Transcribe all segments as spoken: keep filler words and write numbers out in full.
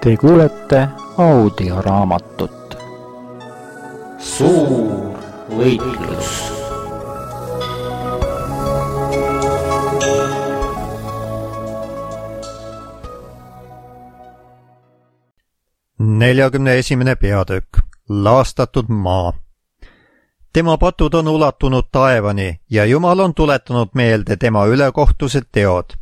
Te kuulete audioraamatut Suur võitlus. neljakümne esimene peatükk. Laastatud maa. Tema patud on ulatunud taevani ja Jumal on tuletanud meelde tema ülekohtused teod.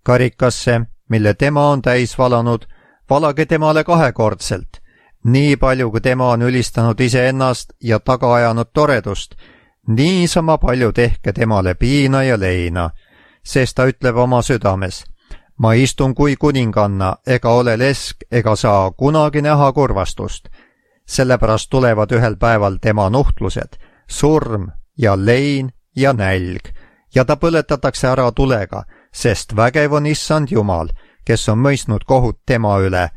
Karikasse, mille tema on täis valanud, valage temale kahekordselt, nii palju kui tema on ülistanud iseennast ja taga ajanud toredust, niisama palju tehke temale piina ja leina, sest ta ütleb oma südames, ma istun kui kuninganna, ega ole lesk, ega saa kunagi näha kurvastust. Sellepärast tulevad ühel päeval tema nuhtlused, surm ja lein ja nälg, ja ta põletatakse ära tulega, sest vägev on issand Jumal, kes on mõistnud kohut tema üle.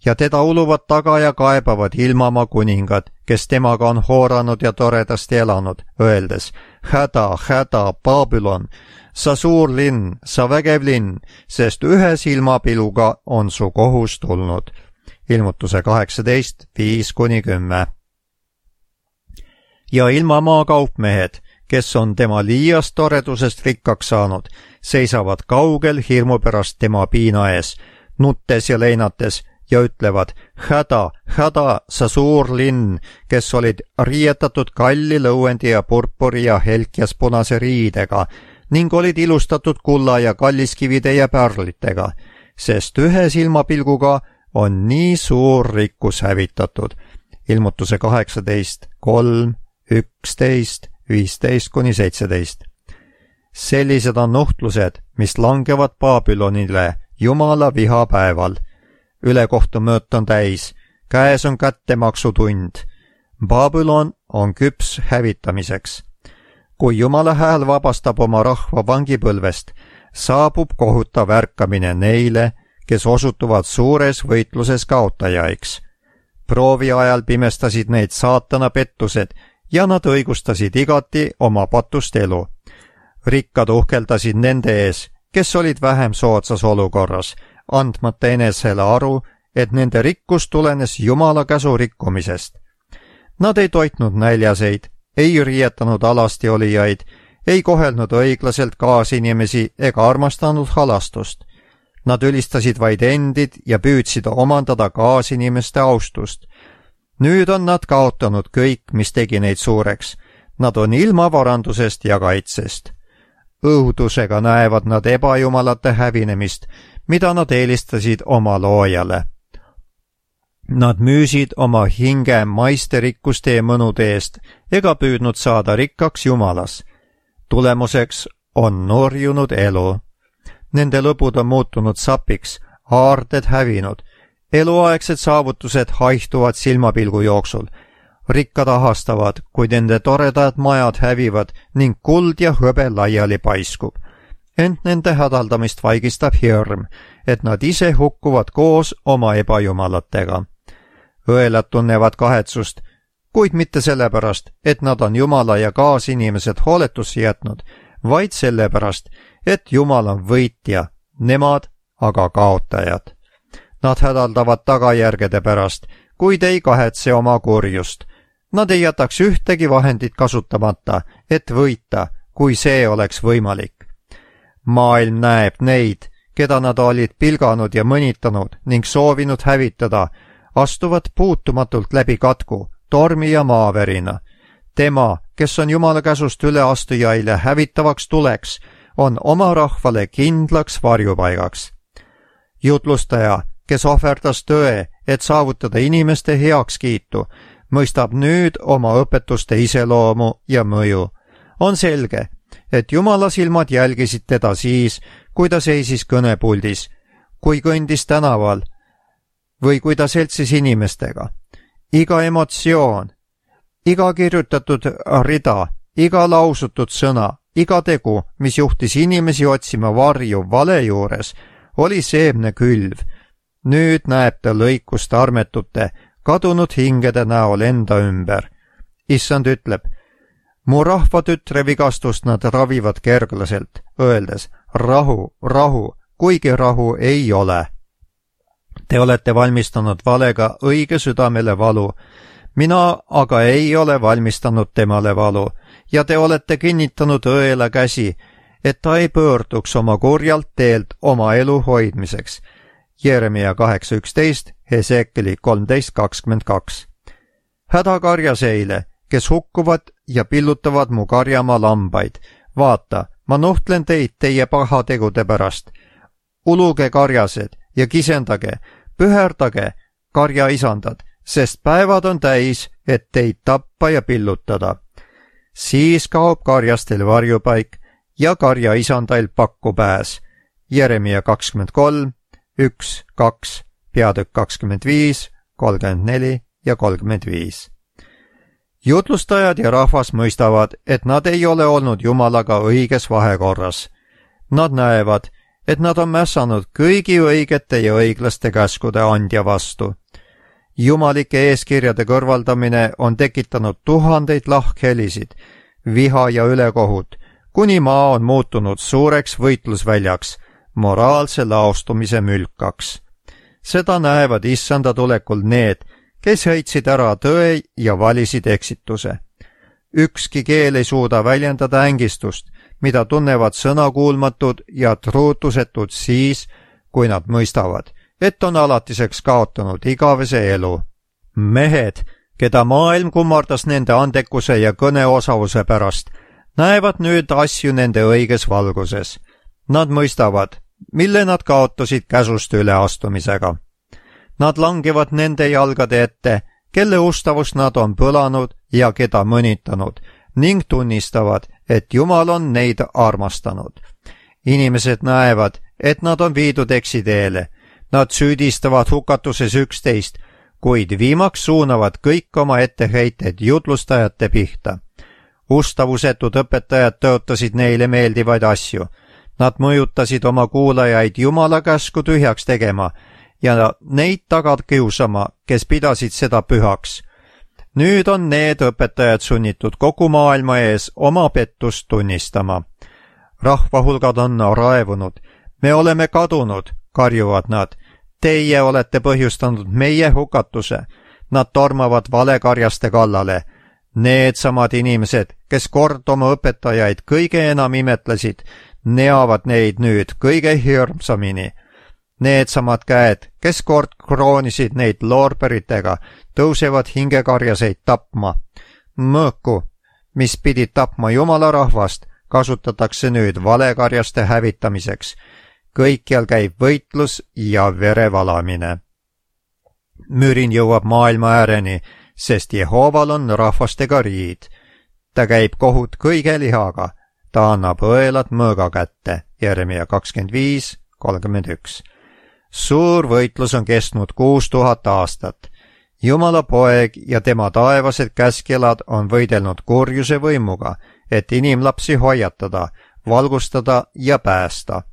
Ja teda uluvad taga ja kaebavad ilmamaa kuningad, kes temaga on hooranud ja toredasti elanud, öeldes, häda, häda, Babylon, sa suur linn, sa vägev linn, sest ühe silmapiluga on su kohus tulnud. Ilmutuse kaheksateist, viis kuni kümme. Ja ilmamaa kaupmehed, kes on tema liiast toredusest rikkaks saanud, seisavad kaugel hirmu pärast tema piina ees, nuttes ja leinates, ja ütlevad, häda, häda, sa suur linn, kes olid riietatud kalli lõuendi ja purpuri ja helkjas punase riidega, ning olid ilustatud kulla ja kalliskivide ja pärlitega, sest ühe silmapilguga on nii suur rikkus hävitatud. Ilmutuse kaheksateist, kolm, üksteist, viisteist kuni seitseteist. Sellised on nuhtlused, mis langevad Babylonile Jumala vihapäeval. Ülekohtumööt on täis, käes on kättemaksutund. Babylon on küps hävitamiseks. Kui Jumala hääl vabastab oma rahva vangipõlvest, saabub kohutav ärkamine neile, kes osutuvad suures võitluses kaotajaiks. Proovi ajal pimestasid neid saatana pettused ja nad õigustasid igati oma patust elu. Rikkad uhkeldasid nende ees, kes olid vähem soodsas olukorras, andmata enesele aru, et nende rikkus tulenes Jumala käsu rikkumisest. Nad ei toitnud näljaseid, ei riietanud alasti olijaid, ei kohelnud õiglaselt kaasinimesi ega armastanud halastust. Nad ülistasid vaid endid ja püüdsid omandada kaasinimeste austust. Nüüd on nad kaotanud kõik, mis tegi neid suureks. Nad on ilma varandusest ja kaitsest. Õudusega näevad nad ebajumalate hävinemist, mida nad eelistasid oma loojale. Nad müüsid oma hinge maiste rikkuste ja mõnude eest ega püüdnud saada rikkaks Jumalas. Tulemuseks on nurjunud elu. Nende lõbud on muutunud sapiks, aarded hävinud, eluaegsed saavutused haihtuvad silmapilgu jooksul, rikkad ahastavad, kui nende toredad majad hävivad ning kuld ja hõbe laiali paiskub. Ent nende hädaldamist vaigistab hirm, et nad ise hukkuvad koos oma ebajumalatega. Õelad tunnevad kahetsust, kuid mitte sellepärast, et nad on Jumala ja kaasinimesed hooletusse jätnud, vaid sellepärast, et Jumal on võitja, nemad aga kaotajad. Nad hädaldavad tagajärgede pärast, kuid ei kahetse oma kurjust. Nad ei jätaks ühtegi vahendit kasutamata, et võita, kui see oleks võimalik. Maailm näeb neid, keda nad olid pilganud ja mõnitanud ning soovinud hävitada, astuvad puutumatult läbi katku, tormi ja maavärina. Tema, kes on Jumala käsust üleastujaile hävitavaks tuleks, on oma rahvale kindlaks varjupaigaks. Jutlustaja, kes ohverdas tõe, et saavutada inimeste heakskiitu, mõistab nüüd oma õpetuste iseloomu ja mõju. On selge, et Jumala silmad jälgisid teda siis, kui ta seisis kõnepuldis, kui kõndis tänaval või kui ta seltsis inimestega. Iga emotsioon, iga kirjutatud rida, iga lausutud sõna, iga tegu, mis juhtis inimesi otsima varju vale juures, oli seemne külv. Nüüd näeb ta lõikust armetute, kadunud hingede näol enda ümber. Issand ütleb, mu rahva tütre vigastust nad ravivad kerglaselt, öeldes rahu, rahu, kuigi rahu ei ole. Te olete valmistanud valega õige südamele valu, mina aga ei ole valmistanud temale valu ja te olete kinnitanud õela käsi, et ta ei pöörduks oma kurjalt teelt oma elu hoidmiseks. Jeremia kaheksa üksteist, Heseekeli kolmteist kakskümmend kaks. Häda karjaseile, kes hukkuvad ja pillutavad mu karjamaa lambaid. Vaata, ma nuhtlen teid teie pahategude pärast. Uluge karjased ja kisendage, püherdage, karja isandad, sest päevad on täis, et teid tappa ja pillutada. Siis kaob karjastel varjupaik ja karja isandail pakkupääs. Jeremia kakskümmend kolm, üks, kaks, peatükk kakskümmend viis, kolmkümmend neli ja kolmkümmend viis. Jutlustajad ja rahvas mõistavad, et nad ei ole olnud Jumalaga õiges vahekorras. Nad näevad, et nad on mässanud kõigi õigete ja õiglaste käskude andja vastu. Jumalike eeskirjade kõrvaldamine on tekitanud tuhandeid lahkhelisid, viha ja ülekohut, kuni maa on muutunud suureks võitlusväljaks, moraalse laostumise mülkaks. Seda näevad issanda tulekul need, kes heitsid ära tõe ja valisid eksituse. Ükski keel ei suuda väljendada ängistust, mida tunnevad sõnakuulmatud ja truutusetud siis, kui nad mõistavad, et on alatiseks kaotanud igavese elu. Mehed, keda maailm kummardas nende andekuse ja kõneosavuse pärast, näevad nüüd asju nende õiges valguses. Nad mõistavad, mille nad kaotasid käsust üleastumisega. Nad langevad nende jalgade ette, kelle ustavust nad on põlanud ja keda mõnitanud, ning tunnistavad, et Jumal on neid armastanud. Inimesed näevad, et nad on viidud eksiteele. Nad süüdistavad hukatuses üksteist, kuid viimaks suunavad kõik oma etteheited jutlustajate pihta. Ustavusetud õpetajad tõotasid neile meeldivaid asju. Nad mõjutasid oma kuulajaid Jumala käsku tühjaks tegema ja neid tagant kiusama, kes pidasid seda pühaks. Nüüd on need õpetajad sunnitud kogu maailma ees oma pettust tunnistama. Rahvahulgad on raevunud. Me oleme kadunud, karjuvad nad. Teie olete põhjustanud meie hukatuse. Nad tormavad valekarjaste kallale. Need samad inimesed, kes kord oma õpetajaid kõige enam imetlesid, neavad neid nüüd kõige hirmsamini. Need samad käed, kes kord kroonisid neid loorberitega, tõusevad hingekarjaseid tapma. Mõõku, mis pidid tapma Jumala rahvast, kasutatakse nüüd valekarjaste hävitamiseks. Kõikjal käib võitlus ja verevalamine. Mürin jõuab maailma ääreni, sest Jehoval on rahvastega riid. Ta käib kohut kõige lihaga. Ta annab õelad mõõga kätte. Jeremia kakskümmend viis, kolmkümmend üks. Suur võitlus on kestnud kuus tuhat aastat. Jumala poeg ja tema taevased käskjalad on võidelnud kurjuse võimuga, et inimlapsi hoiatada, valgustada ja päästa.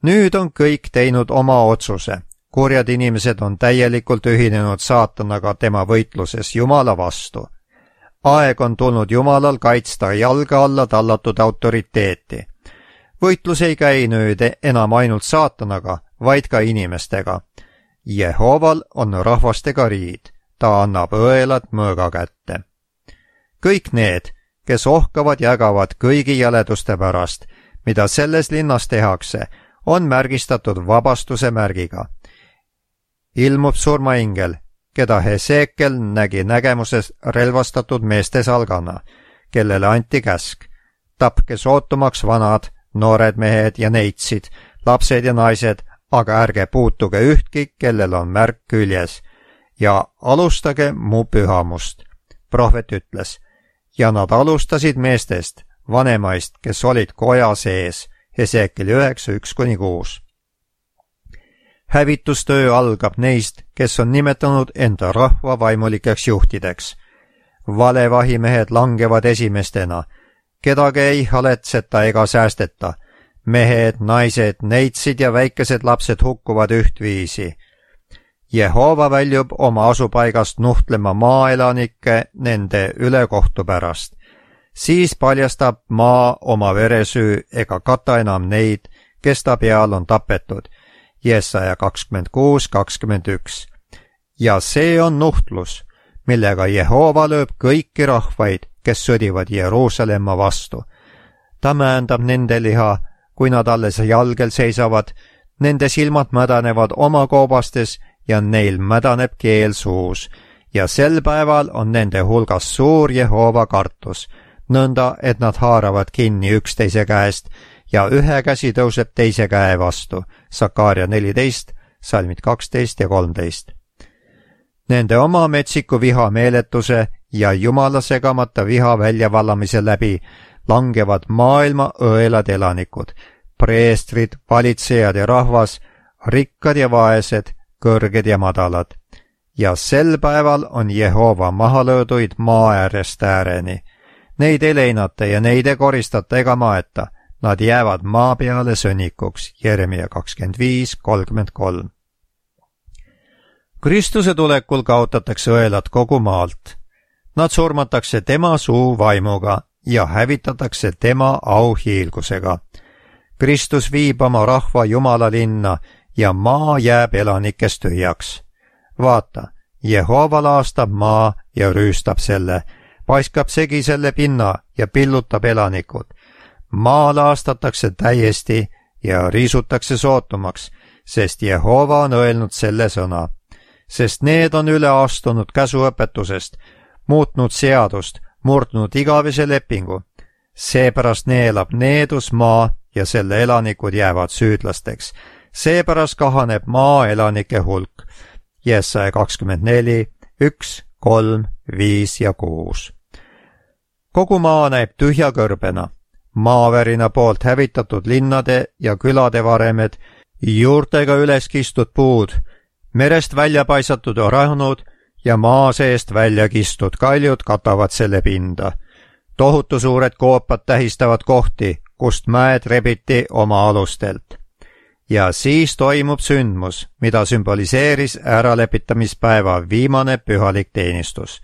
Nüüd on kõik teinud oma otsuse. Kurjad inimesed on täielikult ühinenud saatanaga tema võitluses Jumala vastu. Aeg on tulnud Jumalal kaitsta jalga alla tallatud autoriteeti. Võitlus ei käi nüüd enam ainult saatanaga, vaid ka inimestega. Jehoval on rahvastega riid. Ta annab õelad mõõga kätte. Kõik need, kes ohkavad ja ägavad kõigi jäleduste pärast, mida selles linnas tehakse, on märgistatud vabastuse märgiga. Ilmub surmaingel, keda Heseekel nägi nägemuses relvastatud meeste salgana, kellele anti käsk. Tapke sootumaks vanad, noored mehed ja neitsid, lapsed ja naised, aga ärge puutuge ühtki, kellel on märk küljes, ja alustage mu pühamust. Prohvet ütles, ja nad alustasid meestest, vanemaist, kes olid koja sees, Heseekeli üheksa, üks kuni kuus. Hävitustöö algab neist, kes on nimetanud enda rahva vaimulikeks juhtideks. Valevahimehed langevad esimestena, kedagi ei haletseta ega säästeta. Mehed, naised, neitsid ja väikesed lapsed hukkuvad ühtviisi. Jehova väljub oma asupaigast nuhtlema maaelanikke nende ülekohtu pärast. Siis paljastab maa oma veresüü ega kata enam neid, kes ta peal on tapetud, Jesaja kakskümmend kuus kakskümmend üks. ja see on nuhtlus, millega Jehova lööb kõiki rahvaid, kes sõdivad Jeruusalemma vastu. ta määndab nende liha, kui nad alles jalgel seisavad, nende silmad mädanevad oma koobastes ja neil mädaneb keel suus. ja sel päeval on nende hulgas suur Jehova kartus, nõnda, et nad haaravad kinni üksteise käest ja ühe käsi tõuseb teise käe vastu. Sakaaria neliteist, salmid kaksteist ja kolmteist. Nende oma metsiku viha meeletuse ja Jumala segamata viha väljavallamise läbi langevad maailma õelad elanikud, preestrid, valitsejad ja rahvas, rikkad ja vaesed, kõrged ja madalad. ja sel päeval on Jehova maha lööduid maa äärest ääreni. Neid ei leinata ja neid ei koristata ega maeta, nad jäävad maa peale sõnnikuks. Jeremia kakskümmend viis kolmkümmend kolm. Kristuse tulekul kaotatakse õelad kogu maalt. Nad surmatakse tema suu vaimuga ja hävitatakse tema auhiilgusega. Kristus viib oma rahva Jumala linna ja maa jääb elanikest tühjaks. Vaata, Jehova laastab maa ja rüüstab selle, paiskab segi selle pinna ja pillutab elanikud. Maa laastatakse täiesti ja riisutakse sootumaks, sest Jehova on öelnud selle sõna. Sest need on üle astunud käsuõpetusest, muutnud seadust, murdnud igavese lepingu. Seepärast neelab needus maa ja selle elanikud jäävad süüdlasteks. Seepärast kahaneb maa elanike hulk. Jesaja kakskümmend neli, üks, kolm, viis ja kuus. Kogu maa näib tühja kõrbena. Maavärina poolt hävitatud linnade ja külade varemed, juurtega üles kistud puud, merest välja paisatud orahnud ja maa seest välja kistud kaljud katavad selle pinda. Tohutu suured koopad tähistavad kohti, kust mäed rebiti oma alustelt. Ja siis toimub sündmus, mida sümboliseeris äralepitamispäeva viimane pühalik teenistus.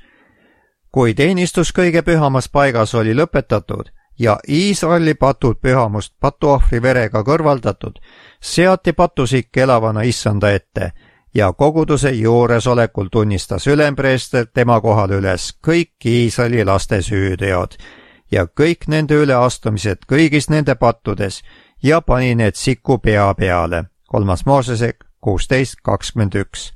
Kui teenistus kõige pühamas paigas oli lõpetatud ja Iisraeli patud pühamust patuohvri verega kõrvaldatud, seati patusik elavana issanda ette ja koguduse juuresolekul tunnistas ülempreester tema kohal üles kõik Iisraeli laste süüteod ja kõik nende üleastumised kõigis nende pattudes ja pani need siku pea peale. kolmas Moosese kuusteist kakskümmend üks.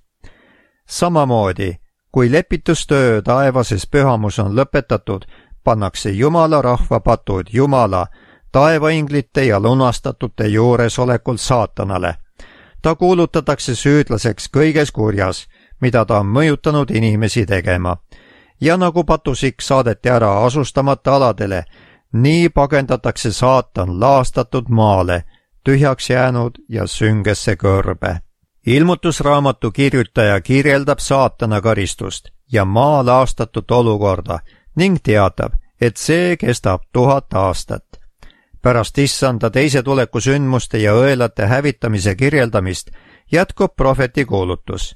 Samamoodi, kui lepitustöö taevases pühamus on lõpetatud, pannakse Jumala rahva patud Jumala, taevainglite ja lunastatute juuresolekul saatanale. Ta kuulutatakse süüdlaseks kõiges kurjas, mida ta on mõjutanud inimesi tegema. Ja nagu patusik saadeti ära asustamata aladele, nii pagendatakse saatan laastatud maale, tühjaks jäänud ja süngesse kõrbe. Ilmutusraamatu kirjutaja kirjeldab saatana karistust ja maa laastatud olukorda ning teatab, et see kestab tuhat aastat. Pärast issanda teise tuleku sündmuste ja õelate hävitamise kirjeldamist jätkub prohveti kuulutus.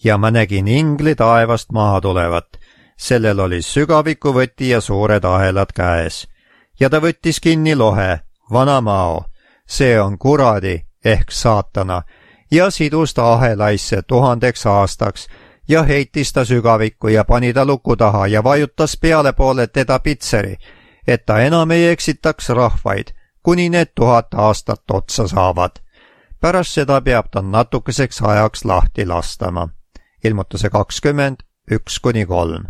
Ja ma nägin ingli taevast maha tulevat. Sellel oli sügavikuvõti ja suured ahelad käes. Ja ta võttis kinni lohe, vana mao, see on kuradi ehk saatana, ja sidus ta ahelaisse tuhandeks aastaks ja heitis ta sügavikku ja pani ta luku taha ja vajutas peale poole teda pitseri, et ta enam ei eksitaks rahvaid, kuni need tuhat aastat otsa saavad. Pärast seda peab ta natukeseks ajaks lahti lastama. Ilmutuse kakskümmend, üks kuni kolm.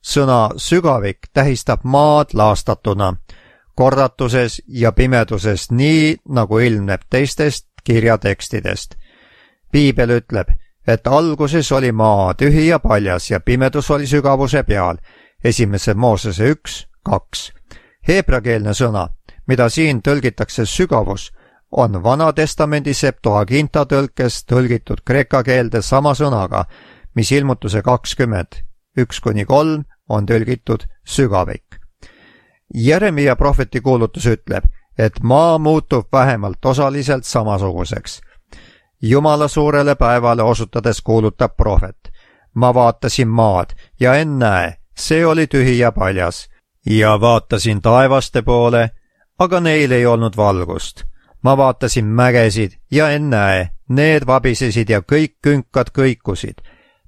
Sõna sügavik tähistab maad laastatuna, kordatuses ja pimeduses nii, nagu ilmneb teistest kirjatekstidest. Piibel ütleb, et alguses oli maa tühi ja paljas ja pimedus oli sügavuse peal. Esimese Moosese üks, kaks. Heebrakeelne sõna, mida siin tõlgitakse sügavus, on Vana Testamendi Septuaginta tõlkes tõlgitud kreeka keelde sama sõnaga, mis ilmutuse kakskümmend, üks kuni kolm on tõlgitud sügavik. Jeremia prohveti kuulutus ütleb, et maa muutub vähemalt osaliselt samasuguseks. Jumala suurele päevale osutades kuulutab prohvet. Ma vaatasin maad ja ennäe, see oli tühi ja paljas. Ja vaatasin taevaste poole, aga neil ei olnud valgust. ma vaatasin mägesid ja ennäe, need vabisesid ja kõik künkad kõikusid.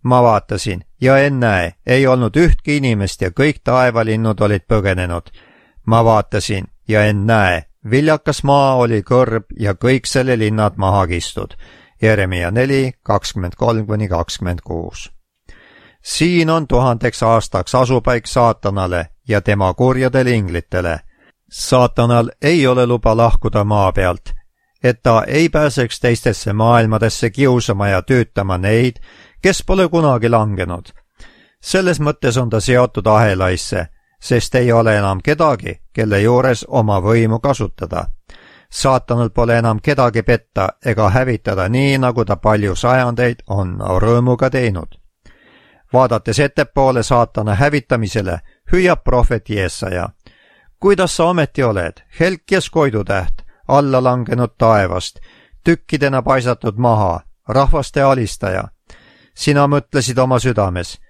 ma vaatasin ja ennäe, ei olnud ühtki inimest ja kõik taevalinnud olid põgenenud. ma vaatasin ja ennäe, viljakas maa oli kõrb ja kõik selle linnad maha kistud. Jeremia neli, kakskümmend kolm kuni kakskümmend kuus. siin on tuhandeks aastaks asupaik saatanale ja tema kurjadele inglitele. saatanal ei ole luba lahkuda maa pealt, et ta ei pääseks teistesse maailmadesse kiusama ja tüütama neid, kes pole kunagi langenud. selles mõttes on ta seotud ahelaisse, sest ei ole enam kedagi, kelle juures oma võimu kasutada. saatanal pole enam kedagi petta ega hävitada nii, nagu ta palju sajandeid on rõõmuga teinud. vaadates ettepoole saatana hävitamisele, hüüab prohvet Jeesaja: kuidas sa ometi oled, helkjas koidutäht, alla langenud taevast, tükkidena paisatud maha, rahvaste alistaja. sina mõtlesid oma südames: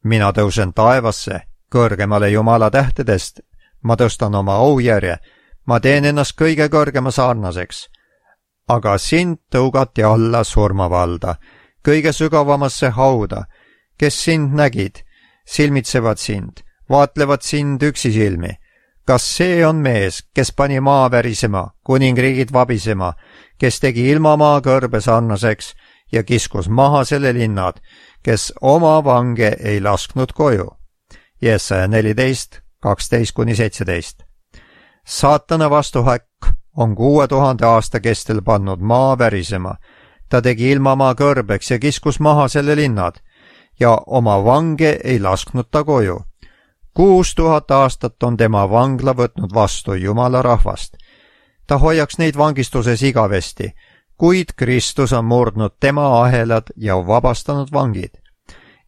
mina tõusen taevasse, kõrgemale Jumala tähtedest, ma tõstan oma aujärje, ma teen ennast kõige kõrgema sarnaseks. aga sind tõugati alla surmavalda, kõige sügavamasse hauda. kes sind nägid, silmitsevad sind, vaatlevad sind üksisilmi. kas see on mees, kes pani maa värisema, kuningriigid vabisema, kes tegi ilmamaa kõrbe sarnaseks ja kiskus maha selle linnad, kes oma vange ei lasknud koju? Jeesaja neliteist, kaksteist kuni seitseteist. saatana vastuhäkk on kuue tuhande aasta kestel pannud maa värisema. ta tegi ilmamaa kõrbeks ja kiskus maha selle linnad ja oma vange ei lasknud ta koju. kuus tuhat aastat on tema vangla võtnud vastu Jumala rahvast. ta hoiaks neid vangistuses igavesti, kuid Kristus on murdnud tema ahelad ja vabastanud vangid.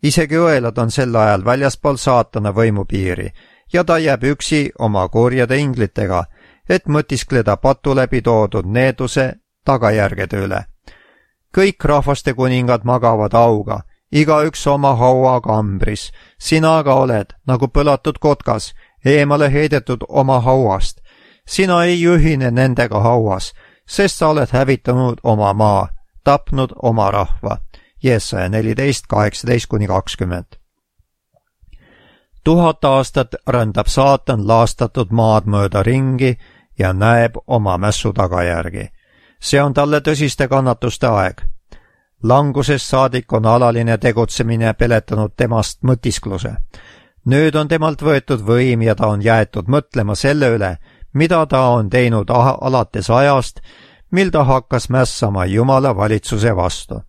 isegi õelad on sel ajal väljaspool saatana võimupiiri ja ta jääb üksi oma kurjade inglitega, et mõtiskleda patu läbi toodud needuse tagajärgede üle. kõik rahvaste kuningad magavad auga, igaüks oma haua kambris. sina aga oled nagu põlatud kotkas, eemale heidetud oma hauast. sina ei ühine nendega hauas, sest sa oled hävitanud oma maa, tapnud oma rahva. Jeesaja neliteist, kaheksateist kuni kakskümmend. tuhat aastat rändab saatan laastatud maad mööda ringi ja näeb oma mässu tagajärgi. see on talle tõsiste kannatuste aeg. langusest saadik on alaline tegutsemine peletanud temast mõtiskluse. nüüd on temalt võetud võim ja ta on jäetud mõtlema selle üle, mida ta on teinud alates ajast, mil ta hakkas mässama Jumala valitsuse vastu.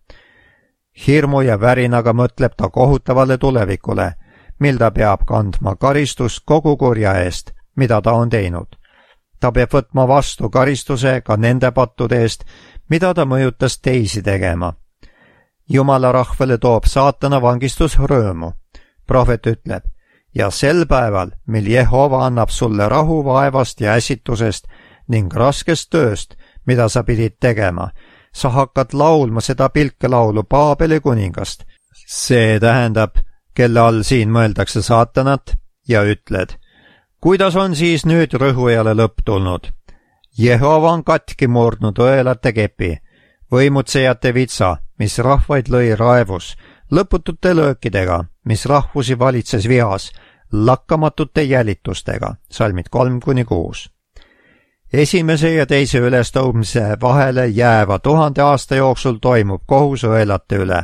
hirmu ja värinaga mõtleb ta kohutavale tulevikule, mil ta peab kandma karistust kogu kurja eest, mida ta on teinud. ta peab võtma vastu karistuse ka nende pattude eest, mida ta mõjutas teisi tegema. Jumala rahvale toob saatana vangistus rõõmu. prohvet ütleb: ja sel päeval, mil Jehova annab sulle rahu vaevast ja äsitusest ning raskest tööst, mida sa pidid tegema, sa hakkad laulma seda pilkelaulu Paabeli kuningast. see tähendab, kelle all siin mõeldakse saatanat, ja ütled: kuidas on siis nüüd rõhujale lõpp tulnud? Jehova on katki murdnud õelate kepi, võimutsejate vitsa, mis rahvaid lõi raevus, lõputute löökidega, mis rahvusi valitses vihas, lakkamatute jälitustega. salmid kolm kuni kuus. esimese ja teise ülestõusmise vahele jääva tuhande aasta jooksul toimub kohus õelate üle.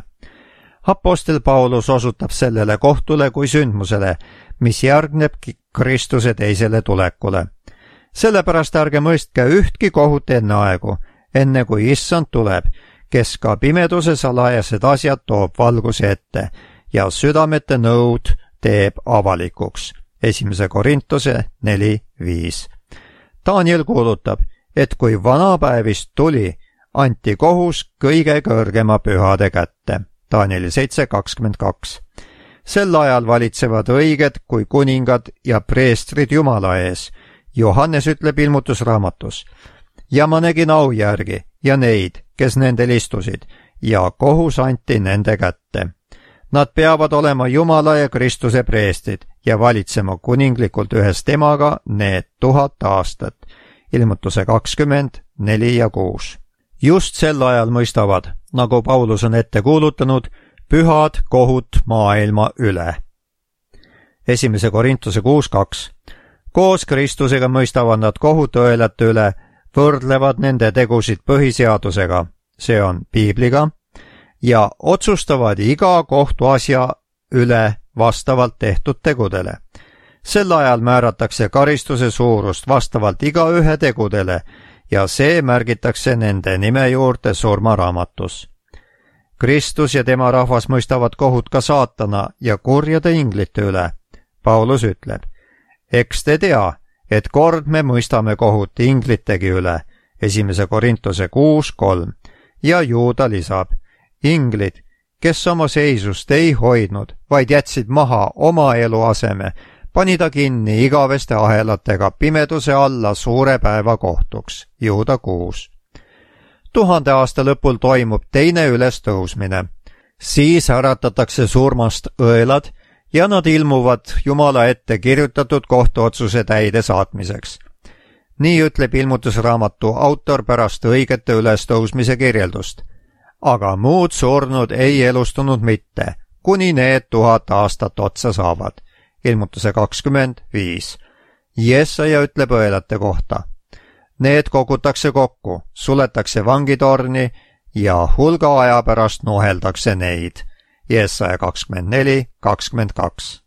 Apostel Paulus osutab sellele kohtule kui sündmusele, mis järgneb Kristuse teisele tulekule. sellepärast ärge mõistke ühtki kohut enne aegu, enne kui issand tuleb, kes ka pimeduse salajased asjad toob valguse ette ja südamete nõud teeb avalikuks. esimese Korintuse neli viis. Daniel kuulutab, et kui vanapäevist tuli, anti kohus kõige kõrgema pühade kätte. Danieli seitse kakskümmend kaks. sel ajal valitsevad õiged kui kuningad ja preestrid Jumala ees. Johannes ütleb ilmutusraamatus: ja ma nägin aujärgi ja neid, kes nendel istusid, ja kohus anti nende kätte. Nad peavad olema Jumala ja Kristuse preestrid ja valitsema kuninglikult ühes temaga need tuhat aastat. ilmutuse kakskümmend neli ja kuus. just sel ajal mõistavad, nagu Paulus on ette kuulutanud, pühad kohut maailma üle. esimese Korintuse kuus kaks. koos Kristusega mõistavad nad kohut õelate üle, võrdlevad nende tegusid põhiseadusega, see on piibliga, ja otsustavad iga kohtuasja üle vastavalt tehtud tegudele. sel ajal määratakse karistuse suurust vastavalt igaühe tegudele ja see märgitakse nende nime juurde surmaraamatus. Kristus ja tema rahvas mõistavad kohut ka saatana ja kurjade inglite üle. Paulus ütleb, eks te tea, et kord me mõistame kohut inglitegi üle, esimese Korintuse kuus kolm, ja Juuda lisab, inglid, kes oma seisust ei hoidnud, vaid jätsid maha oma eluaseme, pani ta kinni igaveste ahelatega pimeduse alla suure päeva kohtuks, Juuda kuus. tuhande aasta lõpul toimub teine ülestõusmine. Siis äratatakse surmast õelad ja nad ilmuvad Jumala ette kirjutatud kohtuotsuse täide saatmiseks. nii ütleb ilmutusraamatu autor pärast õigete ülestõusmise kirjeldust. aga muud surnud ei elustunud mitte, kuni need tuhat aastat otsa saavad. ilmutuse kakskümmend viis. Jesaja ütleb õelate kohta. Need kogutakse kokku, suletakse vangitorni ja hulga aja pärast nuheldakse neid. Jesaja kakskümmend neli kakskümmend kaks.